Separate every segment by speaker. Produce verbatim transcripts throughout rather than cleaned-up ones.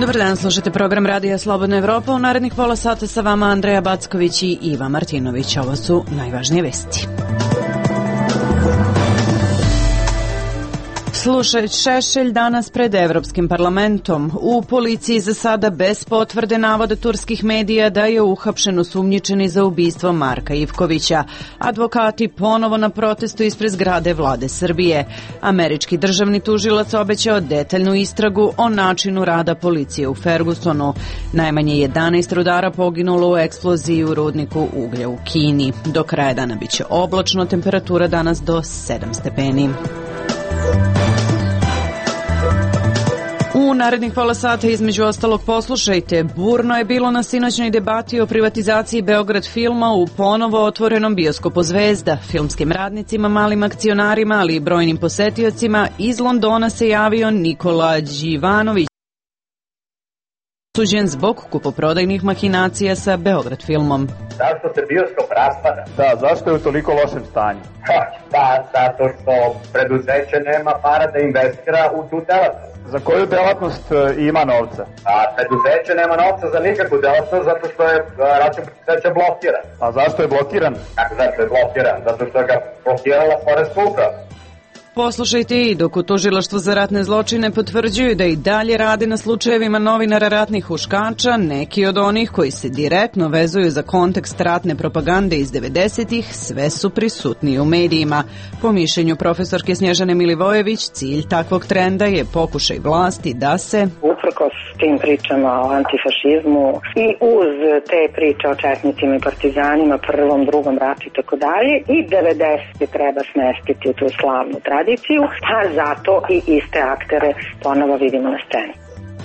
Speaker 1: Dobar dan, slušate program Radija Slobodna Evropa. U narednih pola sata sa vama Andreja Backović i Iva Martinović. Ovo su najvažnije vesti. Slušaj, Šešelj danas pred Evropskim parlamentom. U policiji za sada bez potvrde navode turskih medija da je uhapšen osumnjičeni za ubistvo Marka Ivkovića. Advokati ponovo na protestu ispred zgrade vlade Srbije. Američki državni tužilac obećao detaljnu istragu o načinu rada policije u Fergusonu. Najmanje jedanaest rudara poginulo u eksploziji u rudniku uglja u Kini. Do kraja dana biće oblačno, temperatura danas do sedam stepeni. U narednih pola sata između ostalog poslušajte, burno je bilo na sinoćnoj debati o privatizaciji Beograd filma u ponovo otvorenom bioskopu Zvezda. Filmskim radnicima, malim akcionarima, ali i brojnim posetiocima iz Londona se javio Nikola Đivanović, suđen zbog kupoprodajnih mahinacija sa Beograd filmom.
Speaker 2: Zašto se bioskop raspada?
Speaker 3: Da, zašto je u toliko lošem stanju?
Speaker 2: Ha, pa, zato što preduzeće nema para da investira u tu delatnost.
Speaker 3: Za koju delatnost ima novca?
Speaker 2: A preduzeće nema novca za nikakvu delatnost zato što je račun preduzeća blokiran.
Speaker 3: A zašto je blokiran?
Speaker 2: Kako zašto je blokiran? Zato što ga blokirala poreska uprava.
Speaker 1: Poslušajte i dok u Tužilaštvu za ratne zločine potvrđuju da i dalje rade na slučajevima novinara ratnih huškača, neki od onih koji se direktno vezuju za kontekst ratne propagande iz devedesetih sve su prisutni u medijima. Po mišljenju profesorke Snježane Milivojević, cilj takvog trenda je pokušaj vlasti da se
Speaker 4: uprkos tim pričama o antifašizmu i uz te priče o četnicima i partizanima, prvom, drugom ratu i tako dalje, i devedesete treba smestiti u tu slavnu tradiciju, pa zato i iste aktere ponovo vidimo na sceni.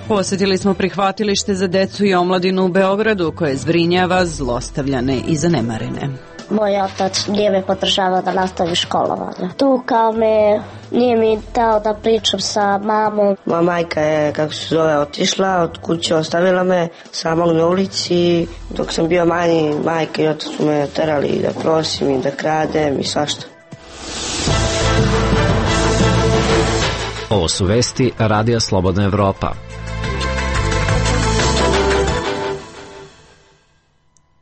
Speaker 1: Posjetili smo prihvatilište za decu i omladinu u Beogradu koje zbrinjava zlostavljane i zanemarene.
Speaker 5: Moj otac nije me podržavao da nastavi školovanje. Tukao me, nije mi dao da pričam sa mamom.
Speaker 6: Moja majka je, kako se zove, otišla, od kuće ostavila me samog na ulici. Dok sam bio manji, majka i otac su me terali da prosim i da kradem i svašta.
Speaker 7: Ovo su vesti Radija Slobodna Evropa.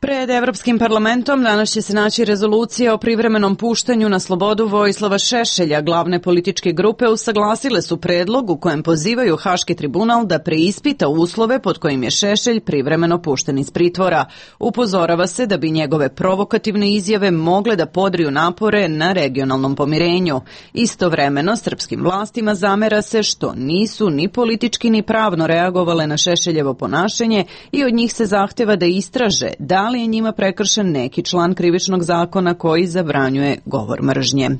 Speaker 1: Pred Evropskim parlamentom danas će se naći rezolucija o privremenom puštanju na slobodu Vojislava Šešelja. Glavne političke grupe usaglasile su predlog u kojem pozivaju Haški tribunal da preispita uslove pod kojim je Šešelj privremeno pušten iz pritvora. Upozorava se da bi njegove provokativne izjave mogle da podriju napore na regionalnom pomirenju. Istovremeno, srpskim vlastima zamera se što nisu ni politički ni pravno reagovale na Šešeljevo ponašanje i od njih se zahteva da istraže da li je njima prekršen neki član krivičnog zakona koji zabranjuje govor mržnje.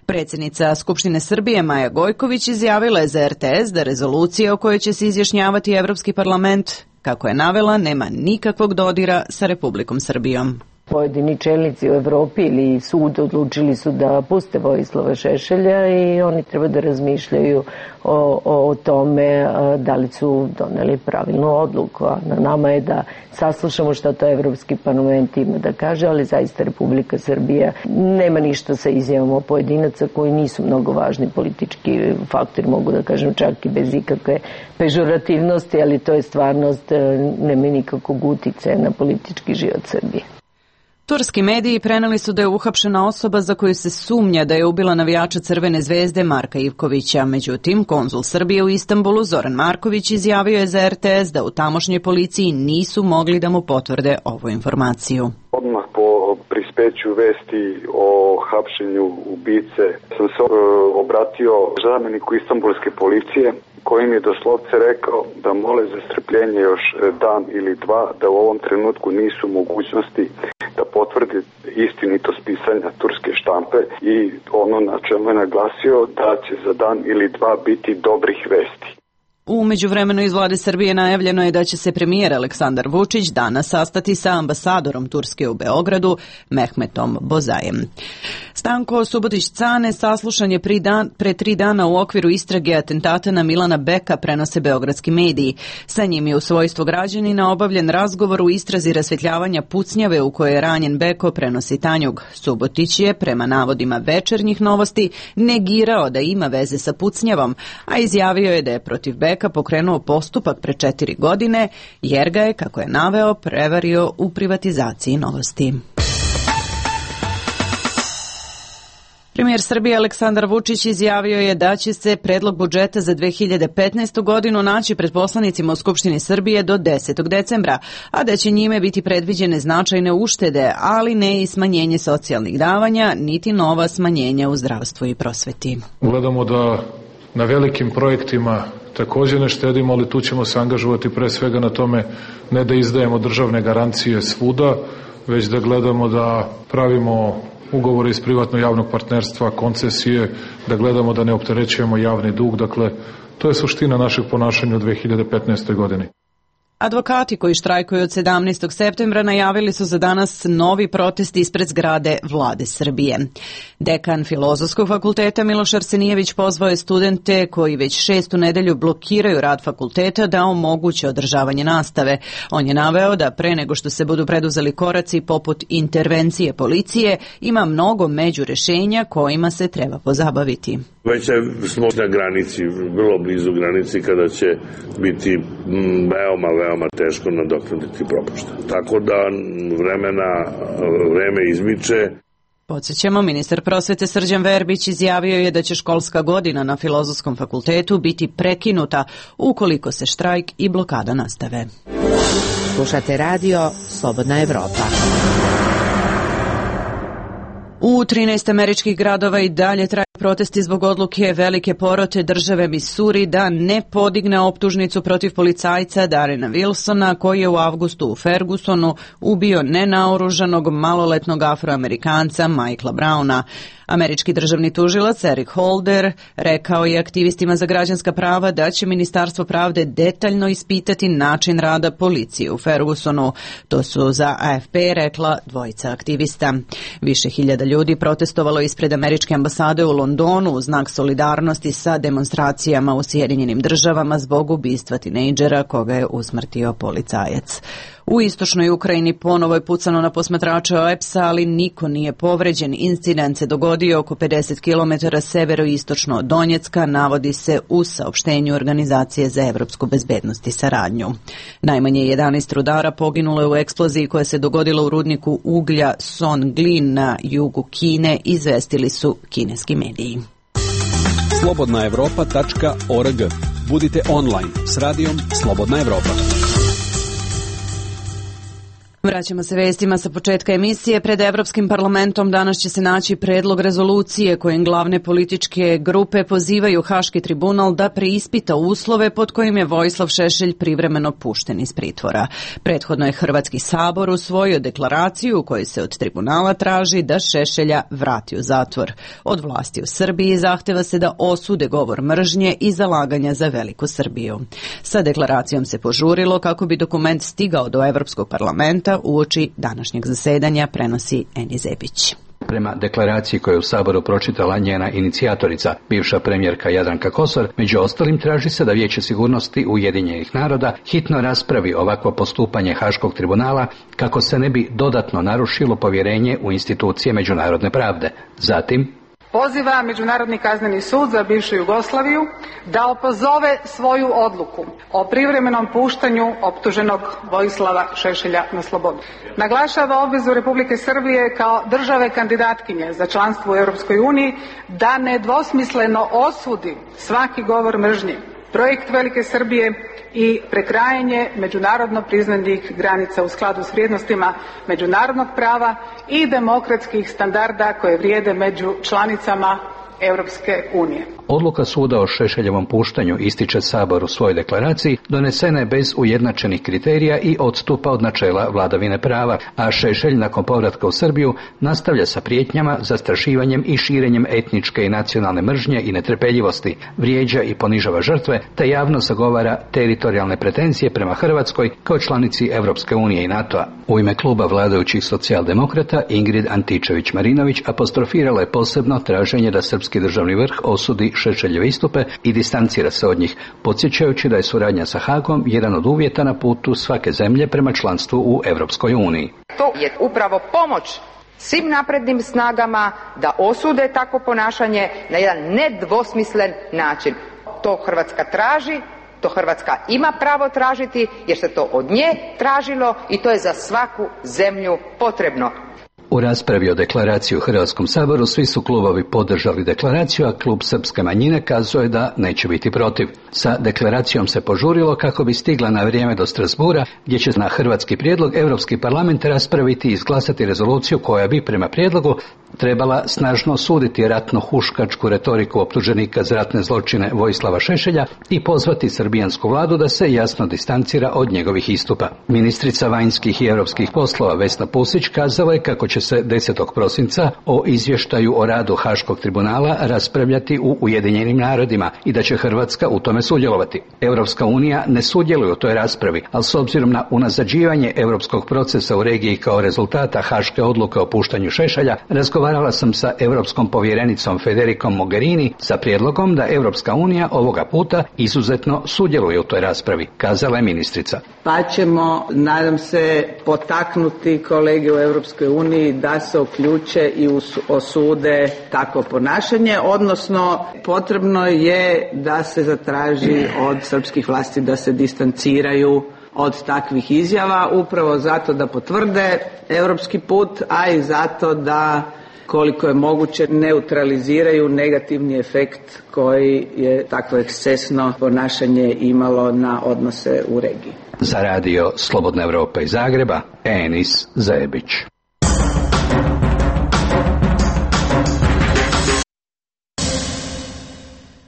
Speaker 1: Predsjednica Skupštine Srbije Maja Gojković izjavila je za er te es da rezolucija o kojoj će se izjašnjavati Evropski parlament, kako je navela, nema nikakvog dodira sa Republikom Srbijom.
Speaker 8: Pojedini čelnici u Evropi ili sud odlučili su da puste Vojislava Šešelja i oni treba da razmišljaju o, o, o tome da li su doneli pravilnu odluku. A na nama je da saslušamo šta to Evropski parlament ima da kaže, ali zaista Republika Srbija nema ništa sa izjavama pojedinaca koji nisu mnogo važni politički faktori, mogu da kažem čak i bez ikakve pežorativnosti, ali to je stvarnost, nema nikakvog uticaja na politički život Srbije.
Speaker 1: Turski mediji preneli su da je uhapšena osoba za koju se sumnja da je ubila navijača Crvene zvezde Marka Ivkovića. Međutim, konzul Srbije u Istanbulu Zoran Marković izjavio je za er te es da u tamošnjoj policiji nisu mogli da mu potvrde ovu informaciju.
Speaker 9: Odmah po prispeću vesti o hapšenju ubice sam se obratio zamjeniku Istanbulske policije kojim je doslovce rekao da mole za strpljenje još dan ili dva, da u ovom trenutku nisu mogućnosti da potvrde istinitost pisanja turske štampe i ono na čemu je naglasio da će za dan ili dva biti dobrih vesti.
Speaker 1: U međuvremenu iz vlade Srbije najavljeno je da će se premijer Aleksandar Vučić danas sastati sa ambasadorom Turske u Beogradu, Mehmetom Bozajem. Stanko Subotić-Cane saslušan je pre, dan, pre tri dana u okviru istrage atentata na Milana Beka, prenose beogradski mediji. Sa njim je u svojstvu građanina obavljen razgovor u istrazi rasvetljavanja pucnjave u kojoj je ranjen Beko, prenosi Tanjug. Subotić je, prema navodima Večernjih novosti, negirao da ima veze sa pucnjavom, a izjavio je da je protiv Beka čoveka pokrenuo postupak pre četiri godine jer ga je, kako je naveo, prevario u privatizaciji Novosti. Premijer Srbije Aleksandar Vučić izjavio je da će se predlog budžeta za dve hiljade petnaestu. godinu naći pred poslanicima u Skupštini Srbije do desetog decembra, a da će njime biti predviđene značajne uštede, ali ne i smanjenje socijalnih davanja, niti nova smanjenja u zdravstvu i prosveti.
Speaker 10: Gledamo da na velikim projektima također ne štedimo, ali tu ćemo se angažovati pre svega na tome ne da izdajemo državne garancije svuda, već da gledamo da pravimo ugovore iz privatno-javnog partnerstva, koncesije, da gledamo da ne opterećujemo javni dug. Dakle, to je suština našeg ponašanja u dve hiljade petnaestoj. godini.
Speaker 1: Advokati koji štrajkuju od sedamnaestog septembra najavili su za danas novi protest ispred zgrade Vlade Srbije. Dekan Filozofskog fakulteta Miloš Arsenijević pozvao je studente koji već šestu nedelju blokiraju rad fakulteta da omoguće održavanje nastave. On je naveo da pre nego što se budu preduzeli koraci poput intervencije policije, ima mnogo međurešenja kojima se treba pozabaviti.
Speaker 11: Već smo na granici, vrlo blizu granici kada će biti veoma, veoma teško nadoknaditi propušta. Tako da vremena, vreme izmiče.
Speaker 1: Podsjećamo, ministar prosvete Srđan Verbić izjavio je da će školska godina na Filozofskom fakultetu biti prekinuta ukoliko se štrajk i blokada nastave.
Speaker 12: Slušate radio Slobodna Evropa.
Speaker 1: U trinaest američkih gradova i dalje traju protesti zbog odluke velike porote države Misuri da ne podigne optužnicu protiv policajca Darrena Wilsona, koji je u avgustu u Fergusonu ubio nenaoružanog maloletnog Afroamerikanca Michaela Browna. Američki državni tužilac Eric Holder rekao je aktivistima za građanska prava da će Ministarstvo pravde detaljno ispitati način rada policije u Fergusonu. To su za A F P rekla dvojica aktivista. Više hiljada ljudi protestovalo ispred američke ambasade u Londonu u znak solidarnosti sa demonstracijama u Sjedinjenim državama zbog ubistva tinejdžera koga je usmrtio policajac. U istočnoj Ukrajini ponovo je pucano na posmatrače O E P S-a, ali niko nije povređen. Incident se dogodio oko pedeset kilometara severo-istočno od Donjecka, navodi se u saopštenju Organizacije za evropsku bezbednost i saradnju. Najmanje jedanaest rudara poginulo je u eksploziji koja se dogodila u rudniku uglja Songlin na jugu Kine, izvestili su kineski mediji.
Speaker 13: slobodna evropa tačka org. Budite online s radijom Slobodna Evropa.
Speaker 1: Vraćamo se vestima sa početka emisije. Pred Evropskim parlamentom danas će se naći predlog rezolucije kojim glavne političke grupe pozivaju Haški tribunal da preispita uslove pod kojim je Vojislav Šešelj privremeno pušten iz pritvora. Prethodno je Hrvatski sabor usvojio deklaraciju u kojoj se od tribunala traži da Šešelja vrati u zatvor. Od vlasti u Srbiji zahteva se da osude govor mržnje i zalaganja za veliku Srbiju. Sa deklaracijom se požurilo kako bi dokument stigao do Evropskog parlamenta uoči današnjeg zasedanja, prenosi Eni Zebić.
Speaker 14: Prema deklaraciji koju je u Saboru pročitala njena inicijatorica, bivša premijerka Jadranka Kosor, među ostalim traži se da Vijeće sigurnosti Ujedinjenih naroda hitno raspravi ovakvo postupanje Haškog tribunala kako se ne bi dodatno narušilo povjerenje u institucije međunarodne pravde. Zatim,
Speaker 15: poziva Međunarodni kazneni sud za bivšu Jugoslaviju da opozove svoju odluku o privremenom puštanju optuženog Vojislava Šešelja na slobodu. Naglašava obvezu Republike Srbije kao države kandidatkinje za članstvo u Europskoj uniji da nedvosmisleno osudi svaki govor mržnje, projekt Velike Srbije i prekrajanje međunarodno priznanih granica u skladu s vrijednostima međunarodnog prava i demokratskih standarda koje vrijede među članicama Europske unije.
Speaker 14: Odluka suda o Šešeljevom puštanju, ističe Sabor u svojoj deklaraciji, donesena je bez ujednačenih kriterija i odstupa od načela vladavine prava, a Šešelj nakon povratka u Srbiju nastavlja sa prijetnjama, zastrašivanjem i širenjem etničke i nacionalne mržnje i netrpeljivosti, vrijeđa i ponižava žrtve, te javno zagovara teritorijalne pretenzije prema Hrvatskoj kao članici Europske unije i NATO-a. U ime kluba vladajućih socijaldemokrata Ingrid Antičević-Marinović apostrofirala je posebno traženje da srpski državni vrh osudi Šešeljeve istupe i distancira se od njih, podsjećajući da je suradnja sa Hagom jedan od uvjeta na putu svake zemlje prema članstvu u Europskoj uniji.
Speaker 16: To je upravo pomoć svim naprednim snagama da osude takvo ponašanje na jedan nedvosmislen način. To Hrvatska traži To Hrvatska ima pravo tražiti jer se to od nje tražilo i to je za svaku zemlju potrebno.
Speaker 14: U raspravi o deklaraciji u Hrvatskom saboru svi su klubovi podržali deklaraciju, a klub Srpske manjine kazuje da neće biti protiv. Sa deklaracijom se požurilo kako bi stigla na vrijeme do Strasbura, gdje će na hrvatski prijedlog Europski parlament raspraviti i izglasati rezoluciju koja bi prema prijedlogu trebala snažno osuditi ratno-huškačku retoriku optuženika za ratne zločine Vojislava Šešelja i pozvati srbijansku vladu da se jasno distancira od njegovih istupa. Ministrica vanjskih i europskih poslova Vesna Pusić kazala je kako će se desetog prosinca o izvještaju o radu Haškog tribunala raspravljati u Ujedinjenim narodima i da će Hrvatska u tome sudjelovati. Europska unija ne sudjeluje u toj raspravi, ali s obzirom na unazađivanje europskog procesa u regiji kao rezultata Haške odluke o puštanju Šešelja, razgovarala sam sa europskom povjerenicom Federikom Mogherini sa prijedlogom da Europska unija ovoga puta izuzetno sudjeluje u toj raspravi, kazala je ministrica.
Speaker 17: Pa ćemo, nadam se, potaknuti kolege u Europskoj uniji da se uključe i osude takvo ponašanje, odnosno potrebno je da se zatraži od srpskih vlasti da se distanciraju od takvih izjava, upravo zato da potvrde europski put, a i zato da koliko je moguće neutraliziraju negativni efekt koji je takvo ekscesno ponašanje imalo na odnose u regiji.
Speaker 14: Za radio Slobodna Evropa iz Zagreba, Enis Zajebić.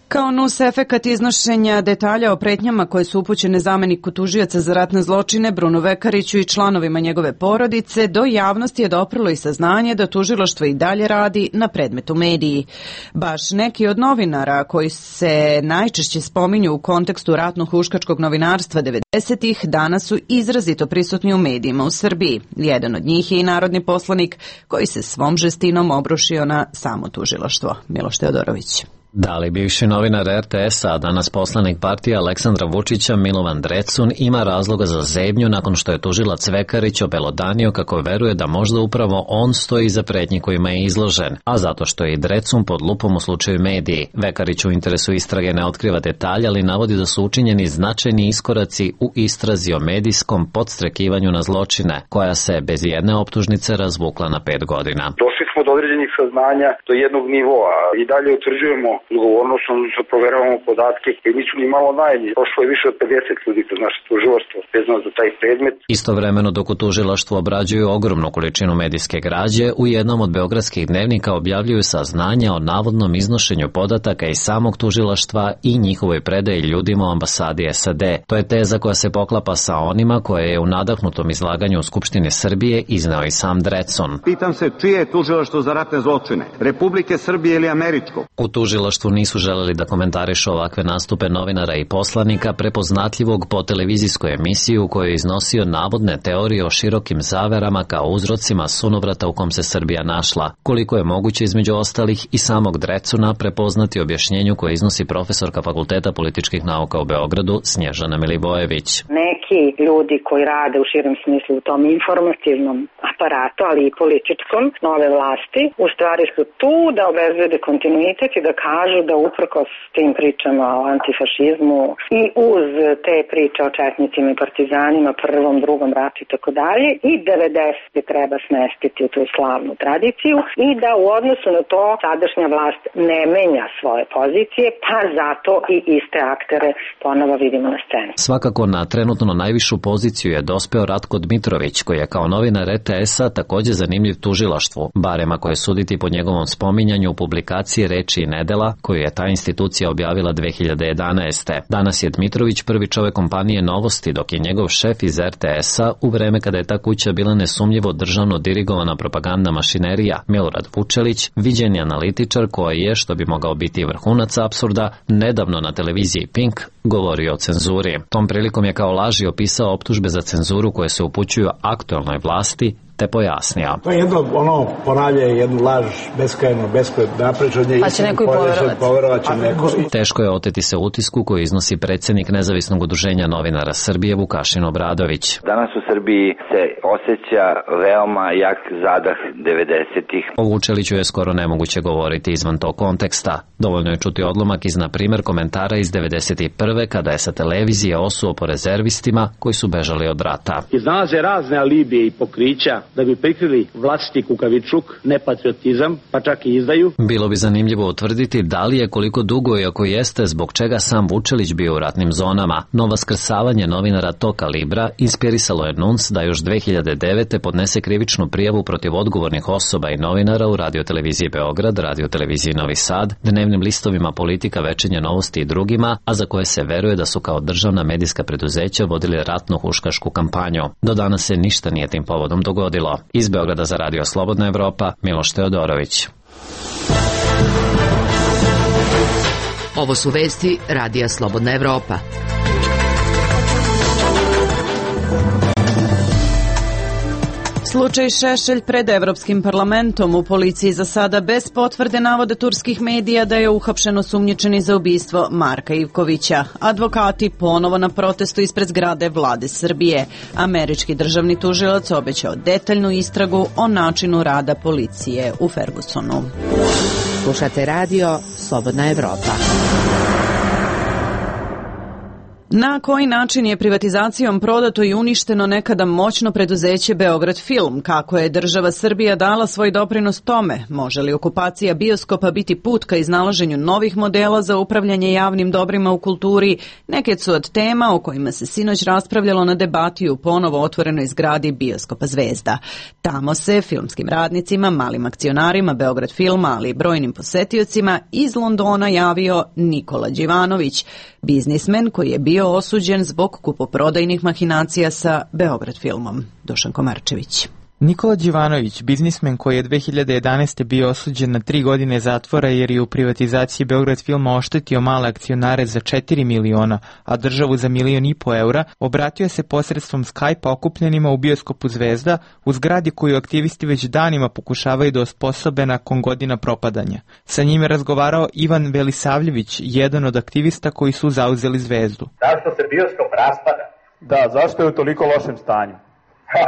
Speaker 1: Kao nus efekat iznošenja detalja o pretnjama koje su upućene zameniku tužioca za ratne zločine Brunu Vekariću i članovima njegove porodice, do javnosti je doprlo i saznanje da tužilaštvo i dalje radi na predmetu mediji. Baš neki od novinara koji se najčešće spominju u kontekstu ratno-huškačkog novinarstva devedesetih danas su izrazito prisutni u medijima u Srbiji. Jedan od njih je i narodni poslanik koji se svom žestinom obrušio na samo tužilaštvo. Miloš Teodorović.
Speaker 7: Da li bivši novinar er te es-a, a danas poslanik partije Aleksandra Vučića Milovan Drecun, ima razloga za zebnju nakon što je tužilac Vekarić obelodanio kako veruje da možda upravo on stoji iza pretnji kojima je izložen, a zato što je i Drecun pod lupom u slučaju mediji. Vekarić u interesu istrage ne otkriva detalje, ali navodi da su učinjeni značajni iskoraci u istrazi o medijskom podstrekivanju na zločine, koja se bez jedne optužnice razvukla na pet godina.
Speaker 18: Došli smo do određenih saznanja do jednog nivoa i dalje utvrđujemo odgovornost, odnosno proveravamo podatke koji nisu ni malo naivni. Prošlo je više od pedeset ljudi kroz naše tužilaštvo vezano za taj predmet.
Speaker 7: Istovremeno dok u tužilaštvu obrađuju ogromnu količinu medijske građe, u jednom od beogradskih dnevnika objavljuju saznanja o navodnom iznošenju podataka iz samog tužilaštva i njihovoj predaji ljudima u ambasadi es a de. To je teza koja se poklapa sa onima koje je u nadahnutom izlaganju u Skupštini Srbije izneo i sam Drecun.
Speaker 19: Pitam se čije je tužilaštvo za ratne zločine, Republike Srbije ili američko?
Speaker 7: U tužilaštvu nisu želeli da komentarišu ovakve nastupe novinara i poslanika prepoznatljivog po televizijskoj emisiji u kojoj je iznosio navodne teorije o širokim zaverama kao uzrocima sunovrata u kom se Srbija našla. Koliko je moguće između ostalih i samog Drecuna prepoznati objašnjenju koje iznosi profesorka Fakulteta političkih nauka u Beogradu Snježana Milivojević.
Speaker 4: Neki ljudi koji rade u širem smislu u tom informativnom aparatu, ali i političkom nove vlasti, u stvari su tu da obezbede kontinuitet i da kažu da uprkos tim pričama o antifašizmu i uz te priče o četnicima i partizanima, prvom, drugom ratu i tako dalje, i devedesete treba smestiti u tu slavnu tradiciju i da u odnosu na to sadašnja vlast ne menja svoje pozicije, pa zato i iste aktere ponovo vidimo na sceni.
Speaker 7: Svakako na trenutno najvišu poziciju je dospeo Ratko Dmitrović, koji je kao novinar er te es-a također zanimljiv tužilaštvu, barem ako je suditi po njegovom spominjanju u publikaciji Reči i nedela, koju je ta institucija objavila dve hiljade jedanaeste. Danas je Dmitrović prvi čovjek kompanije Novosti, dok je njegov šef iz er te es-a u vreme kada je ta kuća bila nesumnjivo državno dirigovana propagandna mašinerija, Milorad Vučelić, viđeni analitičar koji je, što bi mogao biti vrhunac apsurda, nedavno na televiziji Pink govorio o cenzuri. Tom prilikom je kao laži opisao optužbe za cenzuru koje se upućuju aktuelnoj vlasti, te pojasnio.
Speaker 20: To je jedno, ono, ponavlja jednu laž, beskrajno, beskrajno naprečanje.
Speaker 1: Pa će neko i poverovati.
Speaker 20: Neko...
Speaker 7: Teško je oteti se utisku koji iznosi predsjednik Nezavisnog udruženja novinara Srbije Vukašin Obradović.
Speaker 21: Danas u Srbiji se osjeća veoma jak zadah devedesetih.
Speaker 7: O Vučeliću je skoro nemoguće govoriti izvan tog konteksta. Dovoljno je čuti odlomak iz, na primjer, komentara iz devedeset prve kada je sa televizije osuo po rezervistima koji su bežali od rata.
Speaker 22: Iznalaze razne alibije i pokrića da bi prikrili vlastiti kukavičluk, nepatriotizam, pa čak i izdaju.
Speaker 7: Bilo bi zanimljivo utvrditi da li je, koliko dugo i ako jeste, zbog čega sam Vučelić bio u ratnim zonama. No vaskrsavanje novinara tog kalibra inspirisalo je N U N S da još dve hiljade devete. podnese krivičnu prijavu protiv odgovornih osoba i novinara u radioteleviziji Beograd, radioteleviziji Novi Sad, dnevnim listovima Politika, Večernje novosti i drugima, a za koje se veruje da su kao državna medijska preduzeća vodili ratno-huškašku kampanju. Do danas se ništa nije tim povodom dogodilo. Iz Beograda za Radio Slobodna Evropa, Miloš Teodorović.
Speaker 12: Ovo su vesti Radija Slobodna Evropa.
Speaker 1: Slučaj Šešelj pred Evropskim parlamentom. U policiji za sada bez potvrde navode turskih medija da je uhapšen osumnjičeni za ubistvo Marka Ivkovića. Advokati ponovo na protestu ispred zgrade Vlade Srbije. Američki državni tužilac obećao detaljnu istragu o načinu rada policije u Fergusonu.
Speaker 12: Slušate radio Slobodna Evropa.
Speaker 1: Na koji način je privatizacijom prodato i uništeno nekada moćno preduzeće Beograd Film? Kako je država Srbija dala svoj doprinos tome? Može li okupacija bioskopa biti put ka iznalaženju novih modela za upravljanje javnim dobrima u kulturi? Neke su od tema o kojima se sinoć raspravljalo na debati u ponovo otvorenoj zgradi bioskopa Zvezda. Tamo se filmskim radnicima, malim akcionarima Beograd Filma, ali i brojnim posetiocima iz Londona javio Nikola Đivanović, biznismen koji je bio osuđen zbog kupoprodajnih mahinacija sa Beograd Filmom. Dušan Komarčević.
Speaker 23: Nikola Đivanović, biznismen koji je dve hiljade jedanaeste. bio osuđen na tri godine zatvora jer je u privatizaciji Beograd Filma oštetio male akcionare za četiri miliona, a državu za milion i po eura, obratio se posredstvom Skype-a okupljenima u bioskopu Zvezda, u zgradi koju aktivisti već danima pokušavaju da osposobe nakon godina propadanja. Sa njim je razgovarao Ivan Velisavljević, jedan od aktivista koji su zauzeli Zvezdu.
Speaker 2: Zašto se bioskop raspada?
Speaker 3: Da, zašto je u toliko lošem stanju?
Speaker 2: Ha.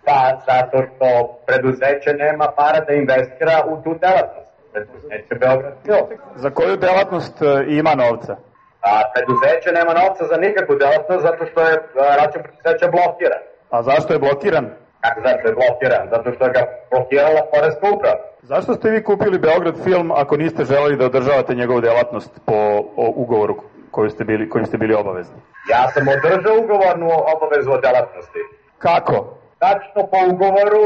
Speaker 2: Pa, zato što preduzeće nema para da investira u tu delatnost. Preduzeće Beograd Film.
Speaker 3: Za koju delatnost ima novca?
Speaker 2: A preduzeće nema novca za nikakvu delatnost zato što je račun preduzeća blokiran.
Speaker 3: A zašto je blokiran?
Speaker 2: Kako zašto je blokiran? Zato što je ga blokirala poreska uprava.
Speaker 3: Zašto ste vi kupili Beograd Film ako niste želeli da održavate njegovu delatnost po ugovoru koju ste bili, kojim ste bili obavezni?
Speaker 2: Ja sam održao ugovornu obavezu o delatnosti.
Speaker 3: Kako?
Speaker 2: Tačno po ugovoru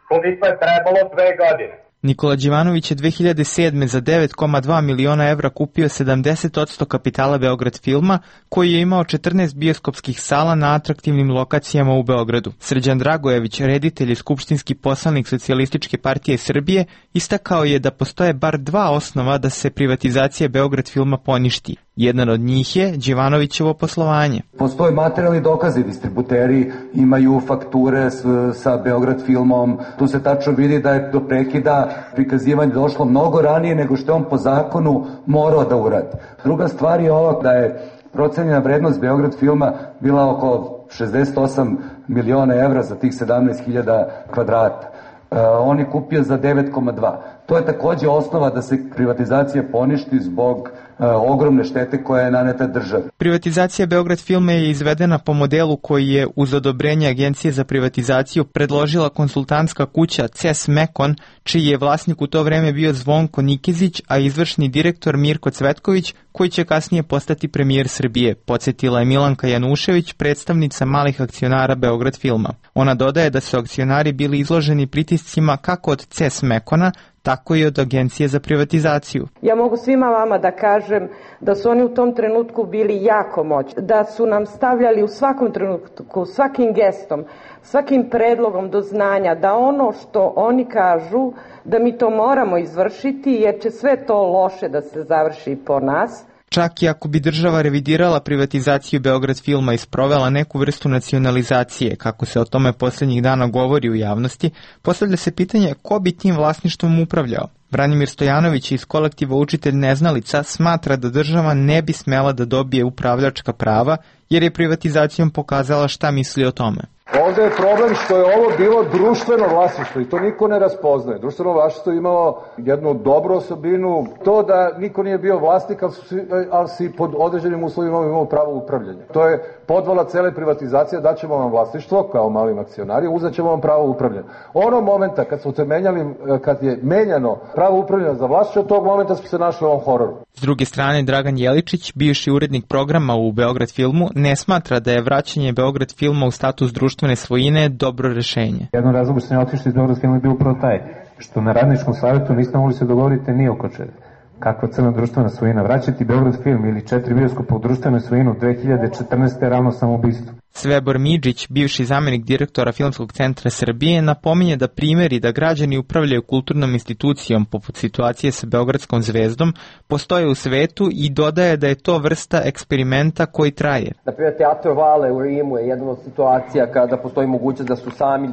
Speaker 2: koliko je trebalo dve godine.
Speaker 23: Nikola Đivanović je dve hiljade sedme. za devet zarez dva miliona evra kupio sedamdeset posto kapitala Beograd Filma, koji je imao četrnaest bioskopskih sala na atraktivnim lokacijama u Beogradu. Srđan Dragojević, reditelj i skupštinski poslanik Socijalističke partije Srbije, istakao je da postoje bar dva osnova da se privatizacija Beograd Filma poništi. Jedan od njih je Đivanovićevo poslovanje.
Speaker 24: Postoje materijalni dokazi, distributeri imaju fakture s, sa Beograd Filmom. Tu se tačno vidi da je do prekida prikazivanje došlo mnogo ranije nego što je on po zakonu morao da uradi. Druga stvar je ova da je procenjena vrednost Beograd Filma bila oko šezdeset osam miliona evra za tih sedamnaest hiljada kvadrata. Uh, on je kupio za devet zarez dva. To je takođe osnova da se privatizacija poništi zbog uh, ogromne štete koja je naneta državi.
Speaker 23: Privatizacija Beograd Filma je izvedena po modelu koji je uz odobrenje Agencije za privatizaciju predložila konsultantska kuća C E S Mekon, čiji je vlasnik u to vreme bio Zvonko Nikezić, a izvršni direktor Mirko Cvetković, koji će kasnije postati premijer Srbije, podsjetila je Milanka Janušević, predstavnica malih akcionara Beograd Filma. Ona dodaje da su akcionari bili izloženi pritiscima kako od C E S Mekona, tako i od Agencije za privatizaciju.
Speaker 25: Ja mogu svima vama da kažem da su oni u tom trenutku bili jako moćni, da su nam stavljali u svakom trenutku, svakim gestom, svakim predlogom do znanja da ono što oni kažu da mi to moramo izvršiti jer će sve to loše da se završi po nas.
Speaker 23: Čak i ako bi država revidirala privatizaciju Beograd filma i sprovela neku vrstu nacionalizacije, kako se o tome posljednjih dana govori u javnosti, postavlja se pitanje ko bi tim vlasništvom upravljao. Branimir Stojanović iz kolektiva Učitelj neznalica smatra da država ne bi smela da dobije upravljačka prava jer je privatizacijom pokazala šta misli o tome.
Speaker 5: Ovdje je problem što je ovo bilo društveno vlasništvo i to niko ne raspoznaje. Društveno vlasništvo je imalo jednu dobru osobinu, to da niko nije bio vlasnik, ali si, ali si pod određenim uslovima imao pravo upravljanja. To je podvala cele privatizacije, daćemo vam vlasništvo kao malim akcionari, uzet ćemo vam pravo upravljanja. Ono momenta kad smo te menjali, kad je menjano pravo upravljanja za vlasništvo, od tog momenta smo se našli u ovom hororu.
Speaker 23: S druge strane, Dragan Jeličić, bivši urednik programa u Beograd filmu, ne smatra da je vraćanje Beograd filma u status društvene svojine dobro rešenje.
Speaker 6: Jedan razlog što sam ja otišao iz Beograd filma je bio upravo taj, što na radničkom savjetu niste mogli se dogovoriti ni oko čega. Kakva crna društvena svojina? Vraćati Beograd film ili četiri bioskopa u društvenu svojinu dve hiljade četrnaeste. ravno samoubistvo.
Speaker 23: Svebor Midžić, bivši zamenik direktora Filmskog centra Srbije, napominje da primjeri da građani upravljaju kulturnom institucijom poput situacije sa Beogradskom zvezdom postoje u svetu i dodaje da je to vrsta eksperimenta koji traje.
Speaker 8: Naprimjer, Teatro Vale u Rimu je jedna od situacija kada postoji mogućnost da su sami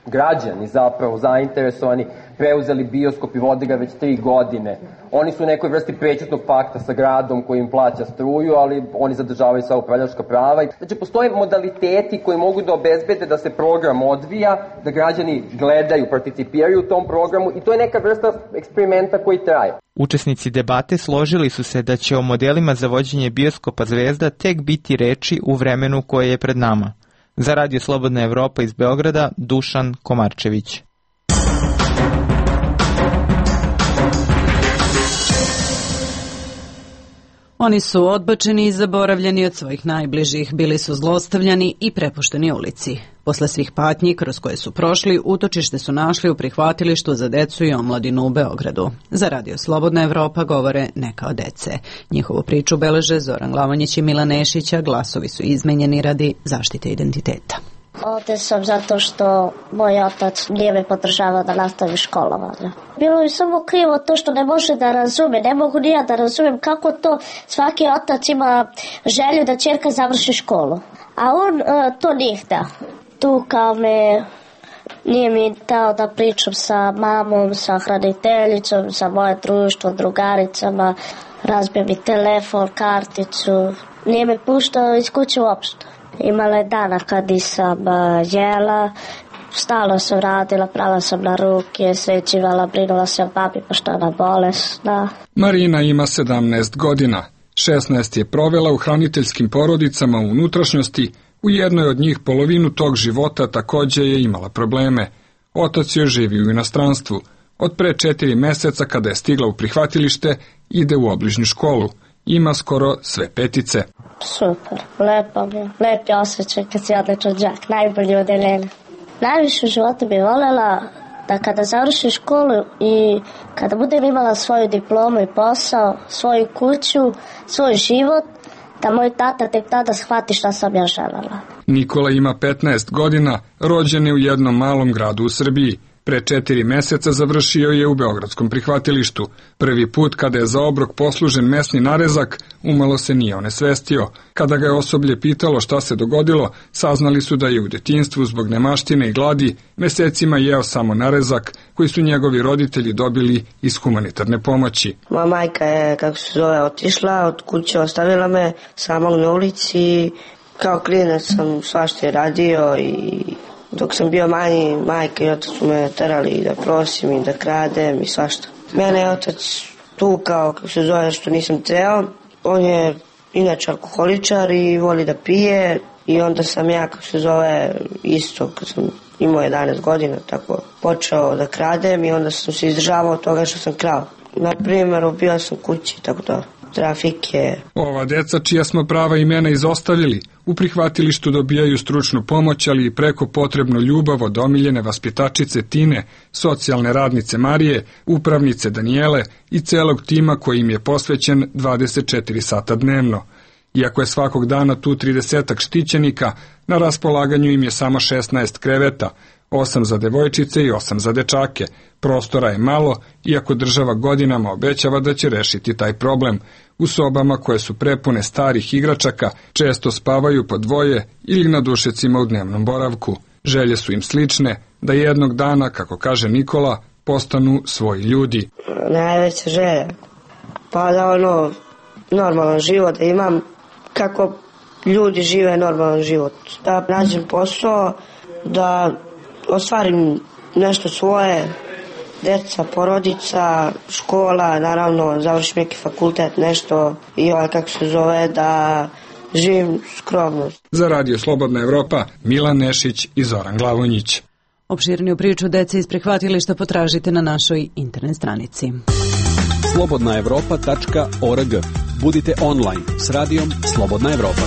Speaker 8: građani zapravo zainteresovani, preuzeli bioskop i vode ga već tri godine. Oni su u nekoj vrsti prećutnog pakta sa gradom koji im plaća struju, ali oni zadržavaju sva upravljačka prava. Znači, postoje modaliteti koji mogu da obezbede da se program odvija, da građani gledaju, participiraju u tom programu i to je neka vrsta eksperimenta koji traje.
Speaker 23: Učesnici debate složili su se da će o modelima za vođenje bioskopa Zvezda tek biti reči u vremenu koje je pred nama. Za Radio Slobodna Evropa iz Beograda, Dušan Komarčević.
Speaker 1: Oni su odbačeni i zaboravljeni od svojih najbližih, bili su zlostavljani i prepušteni ulici. Posle svih patnji kroz koje su prošli, utočište su našli u prihvatilištu za decu i omladinu u Beogradu. Za Radio Slobodna Evropa govore neka od dece. Njihovu priču beleže Zoran Glavanjić i Milan Nešića, glasovi su izmenjeni radi zaštite identiteta.
Speaker 9: Ovdje sam zato što moj otac nije me podržavao da nastavim školovanje. Bilo je samo krivo to što ne može da razume, ne mogu ni ja da razumem kako to svaki otac ima želju da ćerka završi školu. A on uh, to nije htio. Tu kao me nije mi dao da pričam sa mamom, sa hraniteljicom, sa moje društvo, drugaricama, razbio mi telefon, karticu, nije me puštao iz kuće uopšte. Imala je dana kad nisam uh, jela, stalno sam radila, prala sam na ruke, svećivala, brinula se o babi pošto je ona bolesna.
Speaker 10: Marina ima sedamnaest godina. šesnaest je provela u hraniteljskim porodicama u unutrašnjosti, u jednoj od njih polovinu tog života takođe je imala probleme. Otac joj živi u inostranstvu. Od pre četiri meseca kada je stigla u prihvatilište, ide u obližnju školu. Ima skoro sve petice.
Speaker 9: Super, lepo mi je. Lep je osjećaj kad si odličan đak, najbolji od Elene. Najviše u životu bi voljela da kada završim školu i kada budem imala svoju diplomu i posao, svoju kuću, svoj život, da moj tata tek tada shvati šta sam ja želela.
Speaker 10: Nikola ima petnaest godina, rođen je u jednom malom gradu u Srbiji. Pre četiri meseca završio je u beogradskom prihvatilištu. Prvi put kada je za obrok poslužen mesni narezak, umalo se nije onesvestio. Kada ga je osoblje pitalo šta se dogodilo, saznali su da je u detinjstvu zbog nemaštine i gladi mesecima jeo samo narezak koji su njegovi roditelji dobili iz humanitarne pomoći.
Speaker 26: Moja majka je, kako se zove, otišla, od kuće ostavila me samog na ulici. Kao klinac sam svašta je radio i dok sam bio manji, majka i otac su me terali da prosim i da kradem i svašta. Mene je otac tukao, kako se zove, što nisam teo. On je inače alkoholičar i voli da pije i onda sam ja, kako se zove, isto kad sam imao jedanaest godina, tako počeo da kradem i onda sam se izdržavao od toga što sam krao. Na primjer, ubio sam kući, tako da trafike.
Speaker 10: Ova deca čija smo prava imena izostavili, u prihvatilištu dobijaju stručnu pomoć, ali i preko potrebnu ljubav od omiljene vaspitačice Tine, socijalne radnice Marije, upravnice Danijele i celog tima koji im je posvećen dvadeset četiri sata dnevno. Iako je svakog dana tu tridesetak štićenika, na raspolaganju im je samo šesnaest kreveta. osam za devojčice i osam za dečake. Prostora je malo, iako država godinama obećava da će rešiti taj problem. U sobama koje su prepune starih igračaka često spavaju po dvoje ili na dušecima u dnevnom boravku. Želje su im slične, da jednog dana, kako kaže Nikola, postanu svoji ljudi.
Speaker 26: Najveća želja, pa da ono, normalan život da imam, kako ljudi žive normalan život. Da nađem posao, da ostvarim nešto svoje, deca, porodica, škola, naravno završim neki fakultet, nešto i ovaj kako se zove, da živim skromno.
Speaker 10: Za Radio Slobodna Evropa, Milan Nešić i Zoran Glavonjić.
Speaker 1: Opširniju priču dece iz prihvatilišta potražite na našoj internet stranici.
Speaker 11: slobodna evropa tačka org. Budite online s radijom Slobodna Evropa.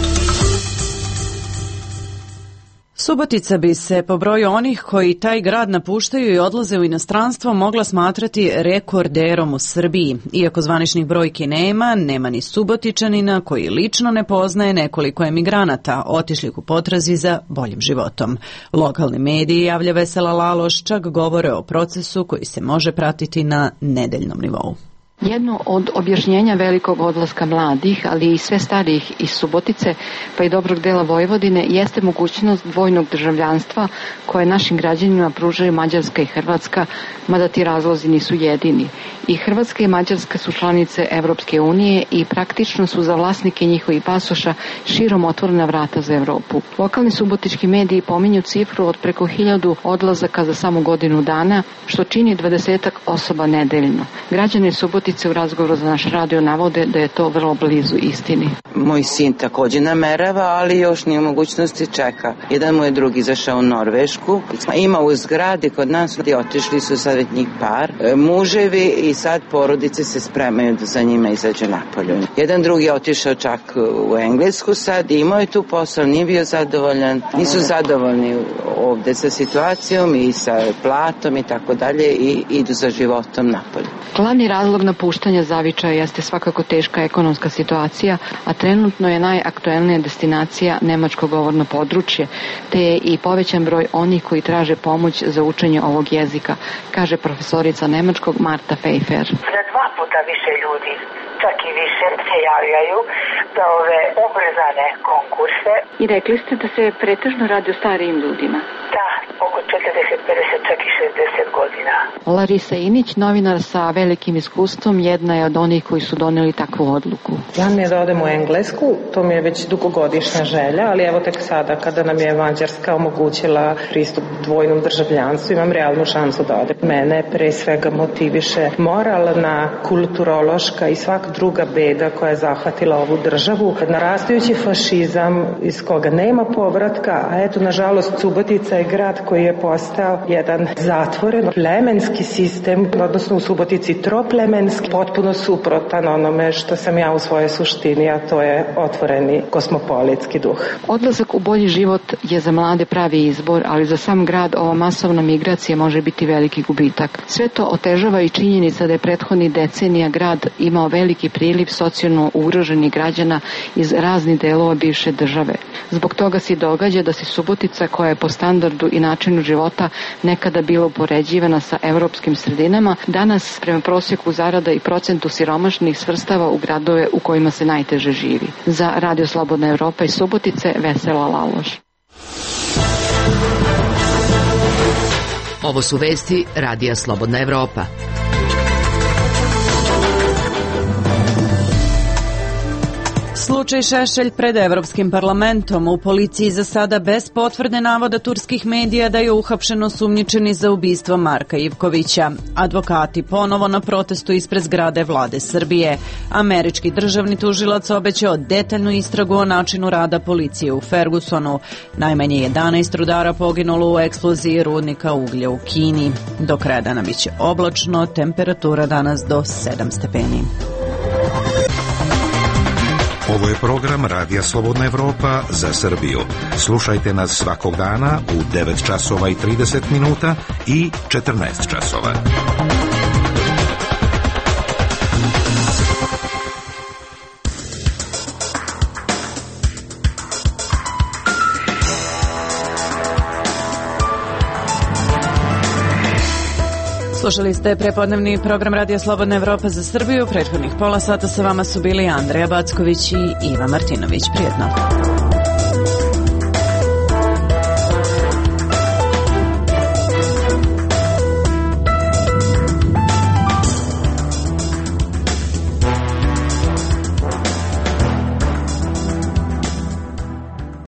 Speaker 1: Subotica bi se po broju onih koji taj grad napuštaju i odlaze u inostranstvo mogla smatrati rekorderom u Srbiji. Iako zvaničnih brojki nema, nema ni Subotičanina koji lično ne poznaje nekoliko emigranata, otišlih u potrazi za boljim životom. Lokalni mediji, javlja Vesela Laloš, čak govore o procesu koji se može pratiti na nedeljnom nivou.
Speaker 13: Jedno od objašnjenja velikog odlaska mladih, ali i sve starijih iz Subotice, pa i dobrog dela Vojvodine, jeste mogućnost dvojnog državljanstva koje našim građanima pružaju Mađarska i Hrvatska, mada ti razlozi nisu jedini. I Hrvatska i Mađarska su članice Evropske unije i praktično su za vlasnike njihovih pasoša širom otvorena vrata za Evropu. Lokalni subotički mediji pominju cifru od preko hiljadu odlazaka za samo godinu dana, što čini dvadesetak osoba nedeljno. Građani Subotice u razgovoru za naš radio navode da je to vrlo blizu istini.
Speaker 14: Moj sin također namerava, ali još nije u mogućnosti čeka. Jedan mu je drugi izašao u Norvešku. Ima u zgradi kod nas, otišli su sad već njih par, muževi i sad porodice se spremaju da za njima izađe napolju. Jedan drugi je otišao čak u Englesku sad, imao je tu posao, nije bio zadovoljan. Nisu zadovoljni ovde sa situacijom i sa platom i tako dalje i idu za životom napolju.
Speaker 13: Glavni razlog napuštanja Zavičaja jeste svakako teška ekonomska situacija, a trenutno je najaktuelnija destinacija nemačko govorno područje, te je i povećan broj onih koji traže pomoć za učenje ovog jezika, kaže profesorica nemačkog Marta Pfeiffer.
Speaker 15: Za dva puta više ljudi, čak i više, se javljaju za ove ubrzane konkurse.
Speaker 13: I rekli ste da se pretežno radi o starijim ljudima.
Speaker 15: Da, oko četrdeset, pedeset, čak i šezdeset godina.
Speaker 13: Larisa Inić, novinar sa velikim iskustvom, jedna je od onih koji su doneli takvu odluku.
Speaker 25: Ja mi je da odem u Englesku, to mi je već dugogodišnja želja, ali evo tek sada kada nam je Mađarska omogućila pristup dvojnom državljanstvu, imam realnu šansu da odem. Mene pre svega motiviše moralna, kulturološka i svaka druga beda koja je zahvatila ovu državu. Narastajući fašizam iz koga nema povratka, a eto, nažalost, Subotica je grad koji je postao jedan zatvoren, plemenski sistem, odnosno u Subotici troplemenski, potpuno suprotan onome što sam ja u svojoj suštini, a to je otvoreni kosmopolitski duh.
Speaker 13: Odlazak u bolji život je za mlade pravi izbor, ali za sam grad ova masovna migracija može biti veliki gubitak. Sve to otežava i činjenica da je prethodni decenija grad imao veliki priliv socijalno ugroženih građana iz raznih delova bivše države. Zbog toga se događa da se Subotica, koja je po standardu i načinu života nekada bila upoređivana sa evropskim sredinama, danas prema prosjeku zarada i procentu siromašnih svrstava u gradove u kojima se najteže živi. Za Radio Slobodna Evropa iz Subotice, Vesela Laloš.
Speaker 12: Ovo su vesti Radija Slobodna Evropa.
Speaker 1: Slučaj Šešelj pred Evropskim parlamentom. U policiji za sada bez potvrde navoda turskih medija da je uhapšen osumnjičeni za ubistvo Marka Ivkovića. Advokati ponovo na protestu ispred zgrade vlade Srbije. Američki državni tužilac obećao detaljnu istragu o načinu rada policije u Fergusonu. Najmanje jedanaest rudara poginulo u eksploziji rudnika uglja u Kini. Do kraja dana biće oblačno, temperatura danas do sedam stepeni.
Speaker 16: Ovo je program Radija Slobodna Evropa za Srbiju. Slušajte nas svakog dana u devet časova i trideset minuta i četrnaest časova.
Speaker 1: Slušali ste prepodnevni program Radija Slobodna Evropa za Srbiju. Prethodnih pola sata sa vama su bili Andreja Backović i Iva Martinović. Prijetno.